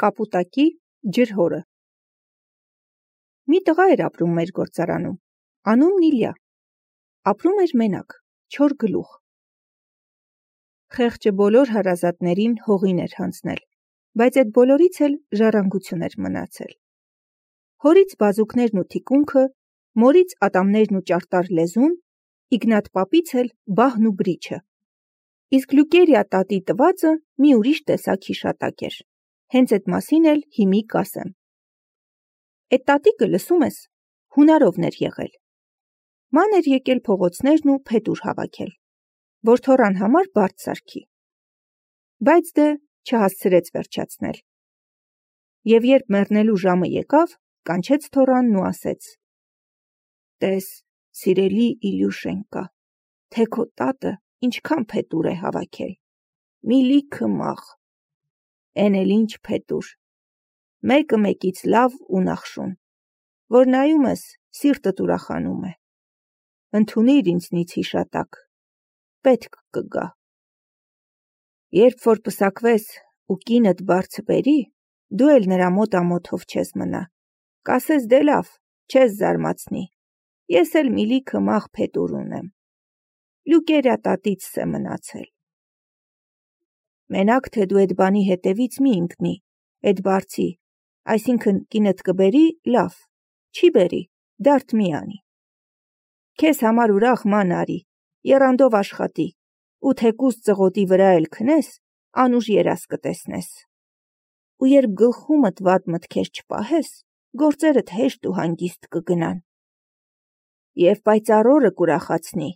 Կապուտակի ջրհորը։ Մի տղա էր ապրում մեր գործարանում, անունն Իլյա, ապրում էր մենակ, 4 գլուխ։ Խեղճը բոլոր հարազատներին հողին էր հանձնել, բայց այդ բոլորից էլ ժառանգություն էր մնացել։ Հորից բազուկներն ու թիկունքը, մորից ատամներն ու ճարտար լեզուն, Իգնատ պապից էլ բահն ու բրիչը։ Իսկ Լուկերիա տատի տվածը մի ուրիշ տեսակ հիշատակ էր, հենց այդ մասին էլ հիմի կասեմ։ Այդ տատիկը, լսում ես, հունարովն էր եղել։ Ման էր եկել փողոցներն ու փետուր հավաքել, որ թոռան համար բարդ սարքի։ Բայց դե չհասցրեց վերջացնել։ Եվ երբ մեռնելու ժամը եկավ, կանչեց թոռանն ու ասեց. «Տես, սիրելի Իլյուշենկա, թե քո տատը ինչքան փետուր է հավաքել, մի լիքը մաղ, էն էլ ինչ փետուր, մեկը մեկից լավ ու նախշուն, որ նայում ես, սիրտդ ուրախանում է, ընդունիր ինձնից հիշատակ, պետք կգա, երբ որ պսակվես ու կինդ բարձ բերի, դու էլ նրա մոտ ամոթով չես մնա, կասես դե լավ, չես զարմացնի, ես էլ մի լիքը մաղ փետուր ունեմ, Լուկերիա տատիցս է մնացել։ Մենակ թե դու այդ բանի հետևից մի ընկնի, այդ բարձի, այսինքն կինդ կբերի, լավ, չի բերի, դարդ մի անի։ Քեզ համար ուրախ ման արի, եռանդով աշխատի, ու թեկուզ ծղոտի վրա էլ քնես, անուշ երաս կտեսնես։ Ու երբ գլխումդ վատ մտքեր չպահես, գործերդ հեշտ ու հանգիստ կգնան։ Եվ պայծառ օրը կուրախացնի,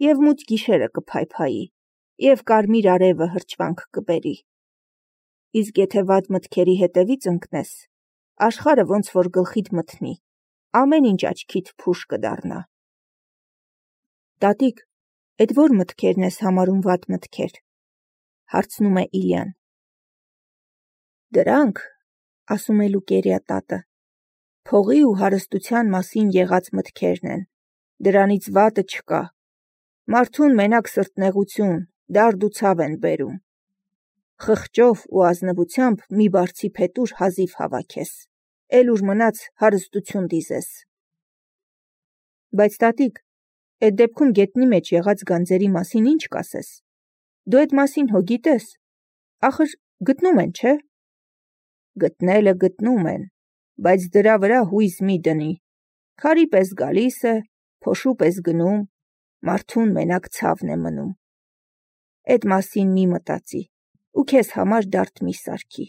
և մութ գիշերը կփայփայի, և կարմիր արևը հրճվանք կբերի։ Իսկ եթե վատ մտքերի հետևից ընկնես, աշխարհը ոնց որ գլխիդ մթնի, ամեն ինչ աչքիդ փուշ կդառնա։ Տատիկ, այդ որ մտքերն ես համարում վատ մտքեր, հարցնում է Իլյան։ Դրանք, ասում է Լուկերիա տատը, փողի ու հարստության մասին եղած մտքերն են, դրանից վատը չկա, մարդուն մենակ սրտնեղություն, դարդ ու ցավ են բերում, խղճով ու ազնվությամբ մի բարձի փետուր հազիվ հավաքես, էլ ուր մնաց հարստություն դիզես։ Բայց տատիկ, այդ դեպքում գետնի մեջ եղած գանձերի մասին ինչ կասես, դու այդ մասին հո գիտես, ախր գտնում են, չէ։ Գտնելը գտնում են, բայց դրա վրա հույս մի դնի, քարի պես գալիս է, փոշու պես գնում, մարդուն մենակ ցավն է մնում։ Այդ մասին մի մտածի, ու քեզ համար դարդ մի սարքի։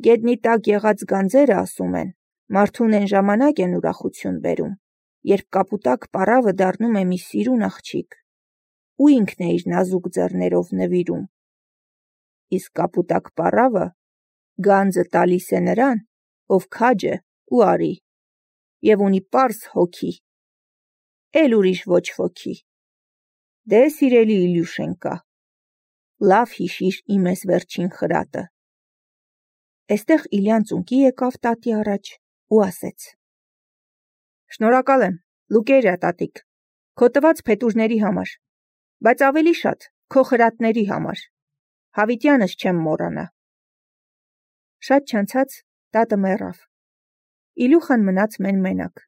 Գետնի տակ եղած գանձերը, ասում են, մարդուն են ժամանակ են ուրախություն բերում, երբ կապուտակ պառավը դառնում է մի սիրուն աղջիկ, ու ինքն է իր նազուկ ձեռներով նվիրում։ Իսկ կապուտակ պառավը գանձը տալիս է նրան, ով քաջ է ու արի, և ունի պարզ հոգի, էլ ուրիշ ոչ ոքի։ Դե սիրելի Իլյուշենկա, լավ հիշիր իմ էս վերջին խրատը։ Էստեղ Իլյան ծունկի եկավ տատի առաջ ու ասեց. Շնորհակալ եմ, Լուկերիա տատիկ, քո տված փետուրների համար, բայց ավելի շատ քո խրատների համար, հավիտյանս չեմ մոռանա։ Շատ չանցած տատը մեռավ։ Իլյուխան մնաց մենակ։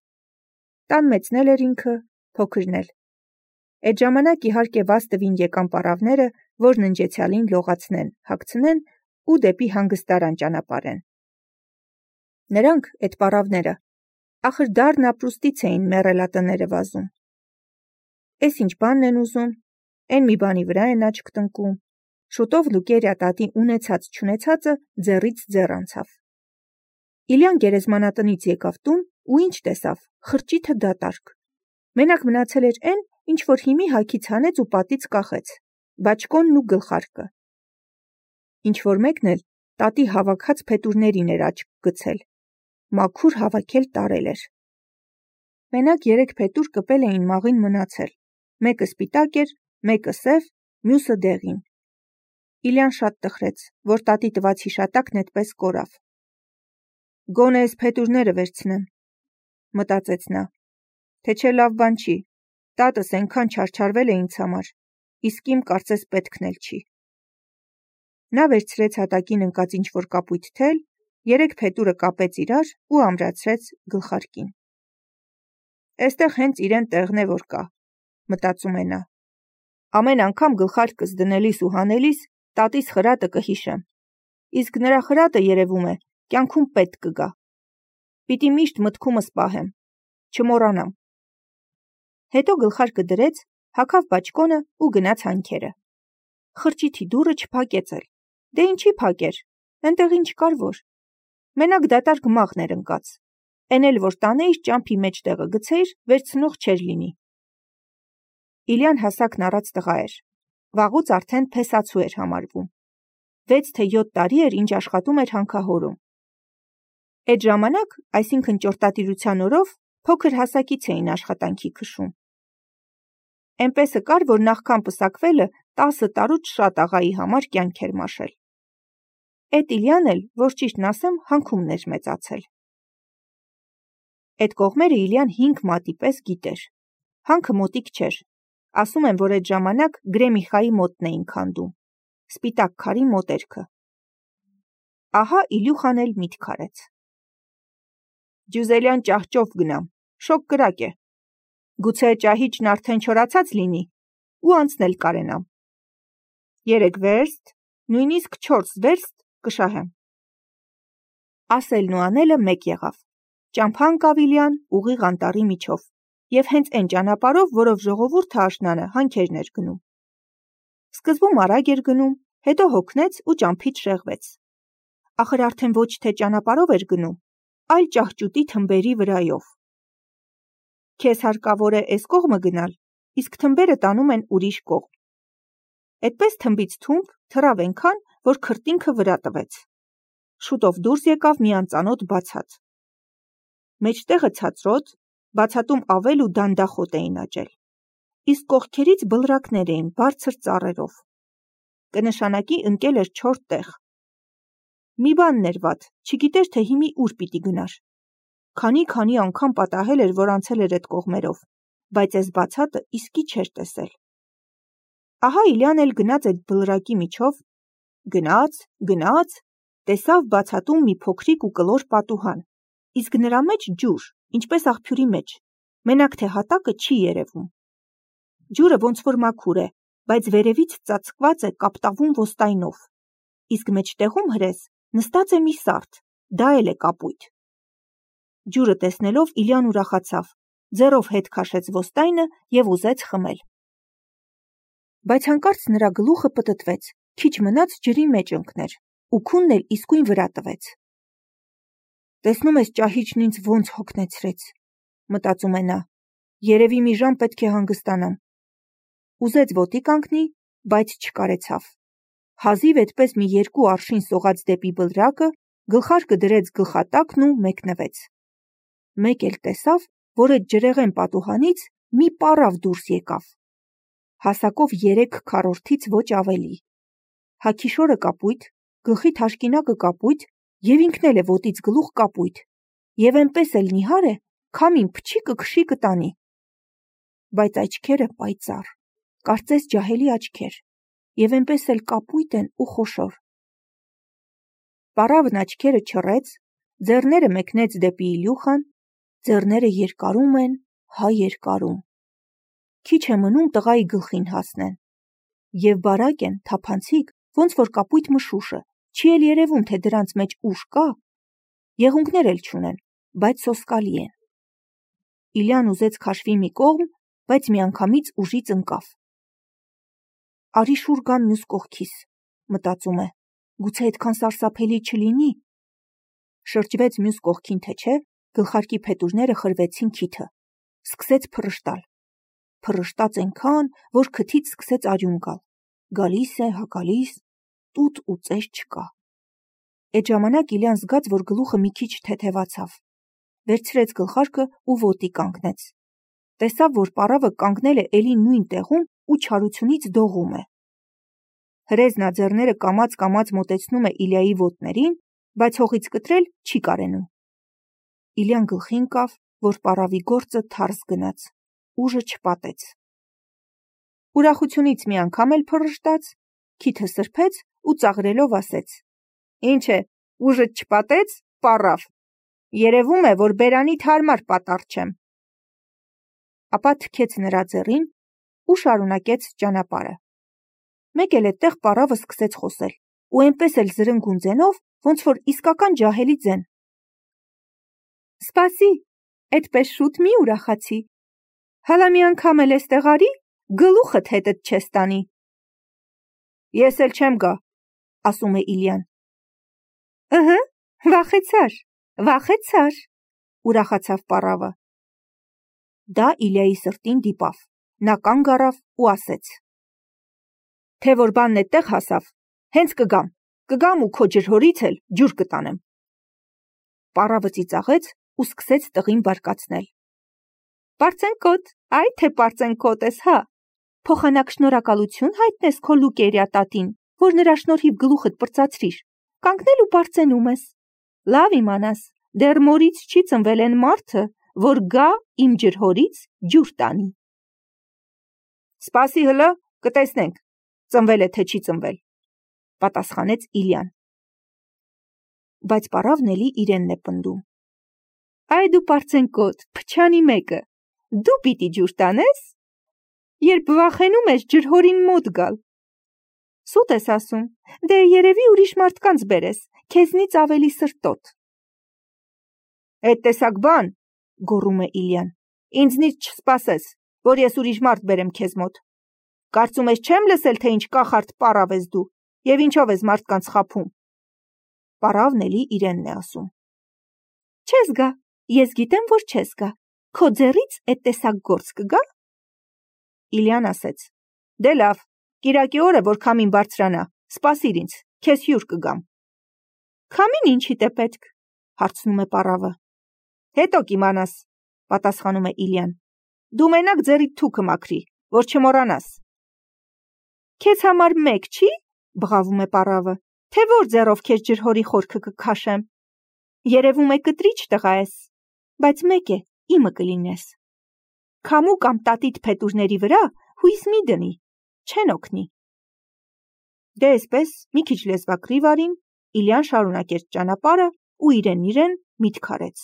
Տան մեծն էր ինքը, փոքրն էլ։ Այդ ժամանակ իհարկե վազ տվին եկան պառավները, որ ննջեցյալին լողացնեն, հագցնեն ու դեպի հանգստարան ճանապարհեն։ Նրանք, այդ պառավները, ախր դառն ապրուստից էին մեռելատները վազում։ Էս ինչ բանն են ուզում, էն մի բանի վրա են աչք տնկում։ Շուտով Լուկերիա տատի ունեցած չունեցածը ձեռից ձեռ անցավ։ Իլյան գերեզմանատնից եկավ տուն ու ինչ տեսավ, խրճիթը դատարկ։ Մենակ մնացել էր էն, ինչ որ հիմի հագից հանեց ու պատից կախեց, բաճկոնն ու գլխարկը։ Ինչ որ մեկն էլ տատի հավաքած փետուրներին էր աչք գցել, մաքուր հավաքել տարել էր։ Մենակ 3 փետուր կպել էին մաղին մնացել, մեկը սպիտակ էր, մեկը սև, մյուսը դեղին։ Իլյան շատ տխրեց, որ տատի տված հիշատակն այդպես կորավ։ Գոնե էս փետուրները վերցնեմ, մտածեց նա, թե չէ լավ բան չի, տատս այնքան չարչարվել է ինձ համար, իսկ իմ կարծես պետքն էլ չի։ Նա վերցրեց հատակին ընկած ինչ-որ կապույտ թել Երեք փետուրը կապեց իրար ու ամրացրեց գլխարկին։ Էստեղ հենց իրեն տեղն է որ կա, մտածում է նա։ Ամեն անգամ գլխարկս դնելիս ու հանելիս տատիս խրատը կհիշեմ, իսկ նրա խրատը երևում է կյանքում պետք կգա։ Պիտի միշտ մտքումս պահեմ, չմոռանամ։ Հետո գլխարկը դրեց, հագավ բաճկոնը ու գնաց հանքերը։ Խրճիթի դուռը չփակեց էլ։ Դե ինչի փակեր, այնտեղ ինչ կար որ։ Մենակ դատարկ մաղն էր ընկած։ Էն էլ որ տանեիր ճամփի մեջտեղը գցեիր, վերցնող չէր լինի։ Իլյան հասակն առած տղա էր։ Վաղուց արդեն փեսացու էր համարվում։ 6 թե 7 տարի էր, ինչ աշխատում էր հանքահորում։ Այդ ժամանակ, այսինքն ճորտատիրության օրով, փոքր հասակից էին աշխատանքի քշում։ Էնպեսը կար, որ նախքան պսակվելը 10 տարուց շատ աղայի համար կյանք էր մաշել։ Էդ Իլյան էլ, որ ճիշտն ասեմ, հանքումն էր մեծացել։ Այդ կողմերը Իլյան 5 մատի պես գիտեր։ Հանքը մոտիկ չէր։ Ասում են, որ այդ ժամանակ Գրեմիխայի մոտն էին քանդում։ Սպիտակ քարի մոտերքը։ Ահա Իլյուխան էլ միտք արեց։ Ջյուզելյան ճահճով գնամ, շոկ կրակ է։ Գուցե ճահիճն արդեն չորացած լինի ու անցնել կարենամ։ 3 վերստ, նույնիսկ 4 վերստ կշահեմ։ Ասելն ու անելը մեկ եղավ։ Ճամփան կավ Իլյան ուղիղ անտառի միջով, եւ հենց այն ճանապարհով, որով ժողովուրդը աշնանը հանքերն էր գնում։ Սկզբում արագ էր գնում, հետո հոգնեց ու ճամփից շեղվեց։ Ախր արդեն ոչ թե ճանապարհով էր գնում, այլ ճահճուտի թմբերի վրայով։ Քեզ հարկավոր է էս կողմը գնալ, իսկ թմբերը տանում են ուրիշ կողմ։ Այդպես թմբից թումբ թռավ այնքան, որ քրտինքը վրա տվեց։ Շուտով դուրս եկավ մի անծանոթ բացատ։ Մեջտեղը ցածրոտ, բացատում ավել ու դանդախոտ էին աճել։ Իսկ կողքերից բլրակներ էին բարձր ծառերով։ Կնշանակի ընկել էր 4 տեղ։ Մի բանն էր վատ, չգիտեր թե հիմի ուր պիտի գնար։ Քանի անգամ պատահել էր, որ անցել էր այդ կողմերով, բայց այս բացատը իսկի չէր տեսել։ Ահա Իլյան էլ գնաց այդ բլրակի միջով, գնաց, տեսավ բացատում մի փոքրիկ ու կլոր պատուհան, իսկ նրա մեջ ջուր, ինչպես աղբյուրի մեջ, մենակ թե հատակը չի երևում։ Ջուրը ոնց որ մաքուր է, բայց վերևից ծածկված է կապտավուն ոստայնով, իսկ մեջտեղում հրես նստած է մի սարդ, դա էլ է կապույտ։ Ջուրը տեսնելով Իլյան ուրախացավ, ձեռով հետ քաշեց ոստայնը և ուզեց խմել։ Բայց հանկարծ նրա գլուխը պտտվեց, քիչ մնաց ջրի մեջ ընկներ, ու քունն էլ իսկույն վրա տվեց։ Տեսնում ես ճահիճն ինձ ոնց հոգնեցրեց, մտածում է նա, երևի մի ժամ պետք է հանգստանամ։ Ուզեց ոտի կանգնի, բայց չկարեցավ։ Հազիվ այդպես մի 2 արշին սողաց դեպի բլրակը, գլխարկը դրեց գլխատակն ու մեկնվեց։ Մեկ էլ տեսավ, որ այդ ջրեղեն պատուհանից մի պառավ դուրս եկավ։ Հասակով 3/4-ից ոչ ավելի։ Հագիշորը կապույտ, գլխի թաշկինակը կապույտ և ինքն էլ է ոտից գլուխ կապույտ, և այնպես էլ նիհար է, քամին փչիկը քշի կտանի։ Բայց աչքերը պայծառ, կարծես ջահելի աչքեր, և այնպես էլ կապույտ են ու խոշոր։ Պառավն աչքերը չռեց, ձեռները մեկնեց դեպի Իլյուխան, ձեռները երկարում են, հա երկարում։ Քիչ է մնում տղայի գլխին հասնեն։ Եվ բարակ են, թափանցիկ, ոնց որ կապույտ մշուշը, չի էլ երևում, թե դրանց մեջ ուժ կա, եղունգներ էլ չունեն, բայց սոսկալի են։ Իլյան ուզեց քաշվի մի կողմ, բայց միանգամից ուժից ընկավ։ Արի շուռ գամ մյուս կողքիս, մտածում է, գուցե այդքան սարսափելի չլինի։ Շրջվեց մյուս կողքին թե չէ, գլխարկի փետուրները խրվեցին քիթը, սկսեց փռշտալ։ Փռշտաց այնքան, որ քթից սկսեց արյուն գալ։ Գալիս է, հա գալիս, տուտ ու ծես չկա։ Այդ ժամանակ Իլյան զգաց, որ գլուխը մի քիչ թեթևացավ։ Վերցրեց գլխարկը ու ոտի կանգնեց։ Տեսավ, որ պառավը կանգնել է էլի նույն տեղում ու չարությունից դողում է։ Հրեզնա ձեռները կամաց մոտեցնում է Իլյայի ոտներին, բայց հողից կտրել չի կարենում։ Իլյան գլխի ընկավ, որ պառավի գործը թարս գնաց, ուժը չպատեց։ Ուրախությունից մի անգամ էլ փռշտաց, քիթը սրբեց ու ծաղրելով ասեց. «Ինչ է, ուժը չպատեց, պառավ։ Երևում է, որ բերանիդ հարմար պատառ չեմ։ Ապա թքեց նրա ձեռին ու շարունակեց ճանապարհը։ Մեկ էլ այդտեղ պառավը սկսեց խոսել ու այնպես էլ զրնգուն ձենով, ոնց որ իսկական ջահելի ձեն։ Սպասի, այդպես շուտ մի ուրախացի։ Հալա մի անգամ էլ էստեղ արի, գլուխդ հետդ չես տանի։ Ես էլ չեմ գա, ասում է Իլյան։ Ըհը, վախեցար, ուրախացավ պառավը։ Դա Իլյայի սրտին դիպավ, նա կանգ առավ ու ասեց. Թե որ բանն այդտեղ հասավ, հենց կգամ ու քո ջրհորից էլ ջուր կտանեմ։ Պառավը ծիծաղեց ու սկսեց տղին բարկացնել։ Պարծենկոտ, այ թե պարծենկոտ ես, հա։ Փոխանակ շնորհակալություն հայտնես քո Լուկերիա տատին, որ նրա շնորհիվ գլուխդ պրծացրիր, կանգնել ու պարծենում ես։ Լավ իմանաս, դեռ մորից չի ծնվել են մարդը, որ գա իմ ջրհորից ջուր տանի։ Սպասի հլը, կտեսնենք, ծնվել է թե չի ծնվել, պատասխանեց Իլյան։ Բայց պառավն էլի իրենն է պնդում։ Այ դու պարծենկոտ, փչանի մեկը, դու պիտի ջուր տանես, երբ վախենում ես ջրհորին մոտ գալ։ Սուտ ես ասում, դե երևի ուրիշ մարդկանց բերես, քեզնից ավելի սրտոտ։ Այդ տեսակ բան, գոռում է Իլյան, ինձնից չսպասես, որ ես ուրիշ մարդ բերեմ քեզ մոտ։ Կարծում ես չեմ լսել, թե ինչ կախարդ պառավ ես դու, և ինչով ես մարդկանց խաբում։ Պառավն էլի իրենն է ասում։ Չես գա, ես գիտեմ, որ չես գա, քո ձեռից այդ տեսակ գործ կգա։ Իլյան ասեց. Դե լավ, կիրակի օրը, որ քամին բարձրանա, սպասիր ինձ, քեզ հյուր կգամ։ Քամին ինչիդ է պետք, հարցնում է պառավը։ Հետո կիմանաս, պատասխանում է Իլյան։ Դու մենակ ձեռիդ թուքը մաքրի, որ չմոռանաս։ Քեզ համար մեկ չի, բղավում է պառավը, թե որ ձեռով քեզ ջրհորի խորքը կքաշեմ։ Երևում է կտրիչ տղա ես, բայց մեկ է, իմը կլինես։ Քամու կամ տատիդ փետուրների վրա հույս մի դնի, չեն օգնի։ Դե այսպես, մի քիչ լեզվակռիվ արին, Իլյան շարունակեց ճանապարհը ու իրեն միտք արեց։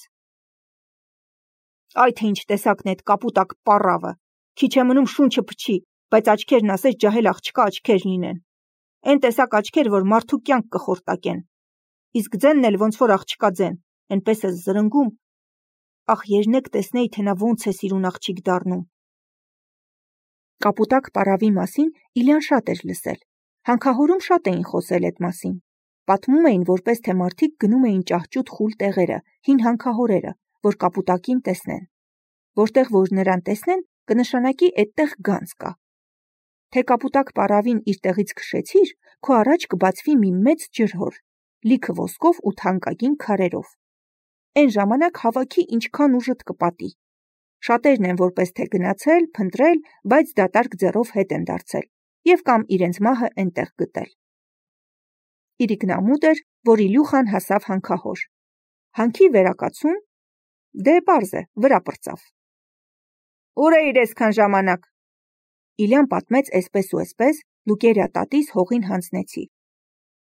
Այ թե ինչ տեսակն է այդ կապուտակ պառավը, քիչ է մնում շունչը փչի, բայց աչքերն ասես ջահել աղջկա աչքեր լինեն։ Այն տեսակ աչքեր, որ մարդու կյանք կխորտակեն։ Իսկ ձենն էլ ոնց որ աղջկա ձեն, այնպես է զրնգում։ Ախ, երնեք տեսնեի, թե նա ոնց է սիրուն աղջիկ դառնում։ Կապուտակ պառավի մասին Իլյան շատ էր լսել։ Հանքահորում շատ էին խոսել այդ մասին։ Պատմում էին, որպես թե մարդիկ գնում էին ճահճուտ խուլ տեղերը, հին հանքահորերը, որ կապուտակին տեսնեն։ Որտեղ որ նրան տեսնեն, կնշանակի այդտեղ գանձ կա։ Թե կապուտակ պառավին իր տեղից քշեցիր, քո առաջ կբացվի մի մեծ ջրհոր, լիքը ոսկով ու թանկագին քարերով։ Այն ժամանակ հավաքի ինչքան ուժդ կպատի։ Շատերն են որպես թե գնացել, փնտրել, բայց դատարկ ձեռով հետ են դարձել և կամ իրենց մահը այնտեղ գտել։ Իրիկնամուտ էր, որ Իլյուխան հասավ հանքահոր։ Հանքի վերակացուն, դե պարզ է, վրա պրծավ։ Ուր էիր այսքան ժամանակ։ Իլյան պատմեց այսպես ու այսպես, Լուկերիա տատիս հողին հանձնեցի։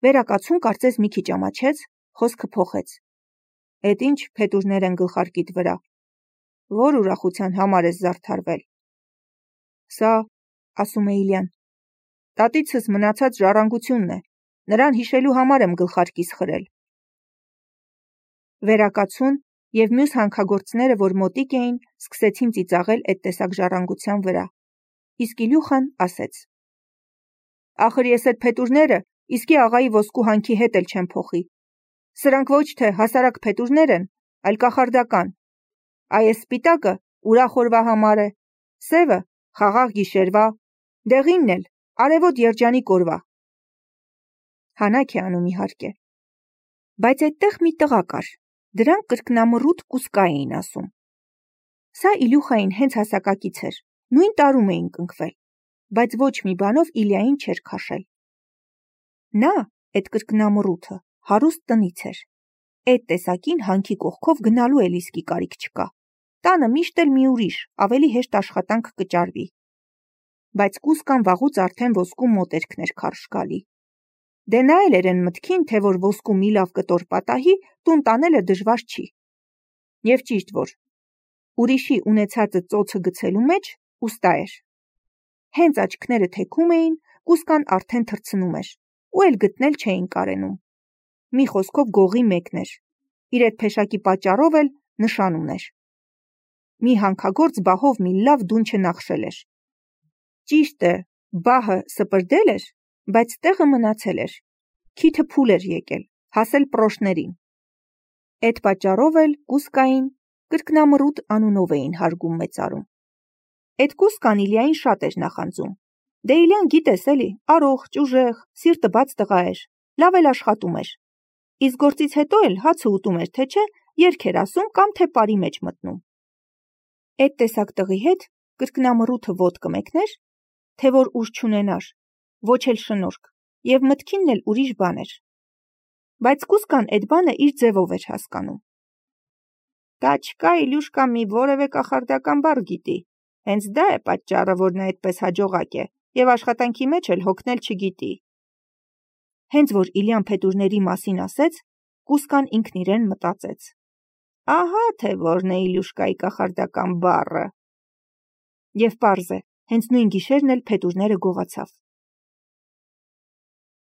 Վերակացուն կարծես մի քիչ ամաչեց, խոսքը փոխեց։ Էդ ինչ փետուրներ են գլխարկիդ վրա։ Որ ուրախության համար ես զարդարվել։ Սա, ասում է Իլյան, տատիցս մնացած ժառանգությունն է, նրան հիշելու համար եմ գլխարկիս խրել։ Վերակացուն և մյուս հանքագործները, որ մոտիկ էին, սկսեցին ծիծաղել այդ տեսակ ժառանգության վրա։ Իսկ Իլյուխան ասեց. Ախր ես այդ փետուրները իսկի աղայի ոսկու հանքի հետ էլ չեմ փոխի։ Սրանք ոչ թե հասարակ փետուրներ են, այլ կախարդական։ Այս սպիտակը ուրախ օրվա համար է, սևը խաղաղ գիշերվա, դեղինն էլ արևոտ երջանիկ օրվա։ Հանաք է անում իհարկե։ Բայց այդտեղ մի տղա կար, դրան կրկնամռութ կուսկա էին ասում։ Սա Իլյուխային հենց հասակակից էր, նույն տարում էին կնքվել, բայց ոչ մի բանով Իլյային չէր քաշել։ Նա, այդ կրկնամռութը, հարուստ տնից էր։ Այդ տեսակին հանքի կողքով գնալու էլ իսկի կարիք չկա։ Տանը միշտ էլ մի ուրիշ, ավելի հեշտ աշխատանք կճարվի։ Բայց կուսկան վաղուց արդեն ոսկու մոտերքն էր քարշ գալի։ Դե նա էլ էր են մտքին, թե որ ոսկու մի լավ կտոր պատահի, տուն տանելը դժվար չի։ Եվ ճիշտ որ ուրիշի ունեցածը ծոցը գցելու մեջ ուստա էր։ Հենց աչքները թեքում էին, կուսկան արդեն թռցնում էր, ու էլ գտնել չէին կարենում։ Մի խոսքով գողի մեկն էր, իր այդ փեշակի պատճառով էլ նշան ուներ։ Մի հանքագործ բահով մի լավ դուն չնախշել էր։ Ճիշտ է, բահը սպրդել էր, բայց տեղը մնացել էր, քիթը փուլ էր եկել, հասել պրոշներին։ Այդ պատճառով էլ կուսկային կրկնամռութ անունով էին հարգում մեծարում։ Այդ կուսկան Իլիային շատ էր նախանձում։ Դե Իլյան գիտես էլի, առողջ, ուժեղ, սիրտը բաց տղա էր, լավ էլ աշխատում էր։ Իսկ գործից հետո էլ հացը ուտում էր, թե չէ, երգ էր ասում կամ թե պարի մեջ մտնում։ Այդ տեսակ տղի հետ կրկնամռութը ոտք կմեկներ, թե որ ուժ չունենար, ոչ էլ շնորհք, եւ մտքինն էլ ուրիշ բան էր։ Բայց կուսկան այդ բանը իր ձևով էր հասկանում։ Դա չկա Իլյուշկա մի որևէ կախարդական բառ գիտի, հենց դա է պատճառը, որ նա այդպես հաջողակ է եւ աշխատանքի մեջ էլ հոգնել չգիտի։ Հենց որ Իլյան փետուրների մասին ասեց, կուսկան ինքն իրեն մտածեց. ահա թե որն է Իլյուշկայի կախարդական բառը։ Եվ պարզ է, հենց նույն գիշերն էլ փետուրները գողացավ։